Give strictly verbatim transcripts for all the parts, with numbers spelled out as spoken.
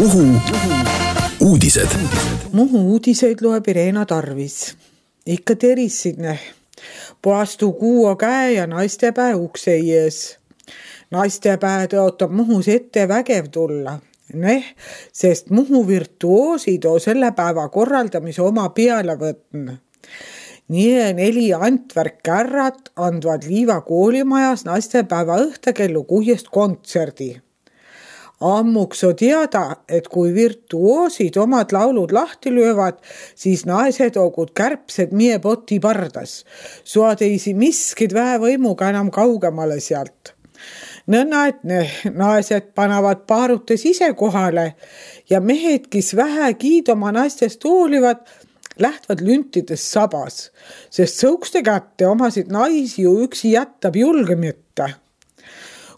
Muhu uudised. Muhu uudiseid loeb Irena Tarvis. Ikka terissidne. Puastu kuuo käe ja naistepää ukse ees. Naistepää tõotab Muhus ette vägev tulla. Neh, sest Muhu virtuoosid on selle päeva korraldamise oma peale võtn. Nii neli Antvärk-kärrat andvad Liiva koolimajas naistepäeva õhtakellu kuuest kontserdi. Ammuks on teada, et kui virtuoosid omad laulud lahti löövad, siis naised ogud kärpsed mie poti pardas. Suad eisi miskid väevõimuga enam kaugemale sealt. Nõnna, et ne naised panavad paarutes ise kohale ja mehed, kes vähe kiidoma naistest hoolivad, lähtvad lüntides sabas, sest sõukste kätte omasid naisi ju üksi jättab julge mitte.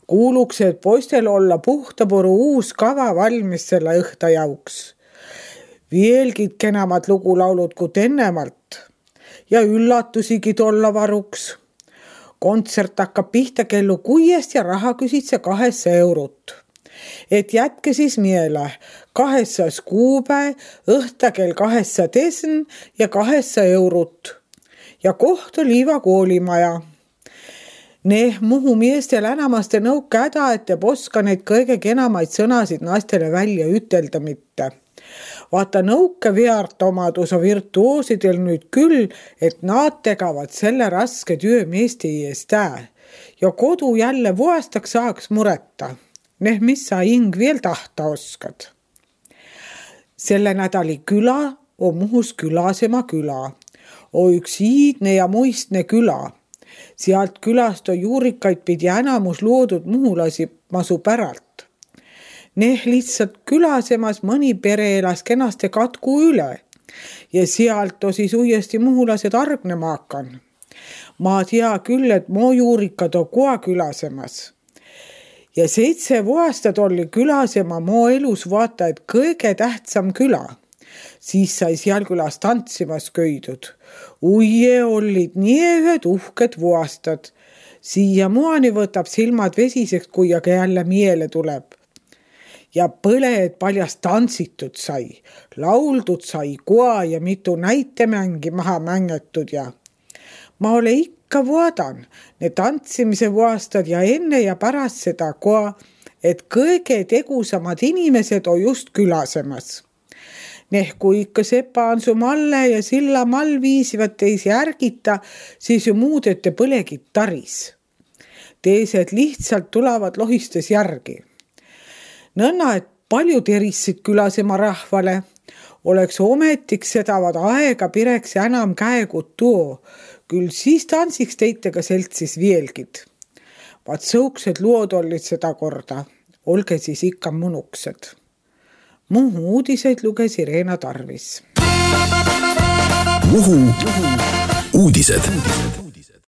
Kuuluks, et poistel olla puhtapuru uus kava valmis selle õhta jauks. Vielgid kenamad lugulaulud kui ennemalt ja üllatusigid olla varuks. Kontsert hakkab pihta kellu kuuest ja raha küsitse kahessa eurot. Et jätke siis miele kahessas kuupäev, õhta kell kahessa tesn ja kahessa eurot. Ja koht on Liiva koolimaja. Neh Muhu meestel enamaste nõuka häda, et te poska neid kõige kenamaid sõnasid naistele välja ütelda mitte. Vaata nõuke veart omadus on virtuoosidel nüüd küll, et nad tegavad selle raske töö meeste eest ää. Ja kodu jälle vuostaks saaks muretta. Neh, mis sa ing veel tahta oskad. Selle nädali küla on Muhus Külasema küla. On üks iidne ja muistne küla. Sealt külast on juurikaid pidi enamus loodud muhulasi masu päralt. Neh lihtsalt Külasemas mõni pere elas kenaste katku üle ja sealt on siis uuesti muhulased argnema hakan. Ma tea küll, et moo juurikad on koa Külasemas. Ja seitse vuostad oli Külasema moo elus vaata, et kõige tähtsam küla. Siis sai seal külas tantsimas köidud. Uie olid nii ühed uhked vuostad. Siia muani võtab silmad vesiseks, kui aga jälle miele tuleb. Ja põled paljast tantsitud sai. Lauldud sai koa ja mitu näitemängi maha mängetud ja ma ole ikka vuodan ne tantsimise vuostad ja enne ja pärast seda koa, et kõige tegusamad inimesed on just Külasemas. Neh, kui ikka sepa on su malle ja silla mall viisivad teisi ärgita, siis ju muudete põlegid taris. Teised lihtsalt tulevad lohistes järgi. Nõnna, et palju terissid Külasema rahvale. Oleks ometiks sedavad aega pireks enam käegut tuo. Küll siis tantsiks teitega seltsis vielgid. Vaat sõuksed luod olid seda korda. Olge siis ikka munuksed. Muhu uudiseid luges Irena Tarvis. Muhu uudised.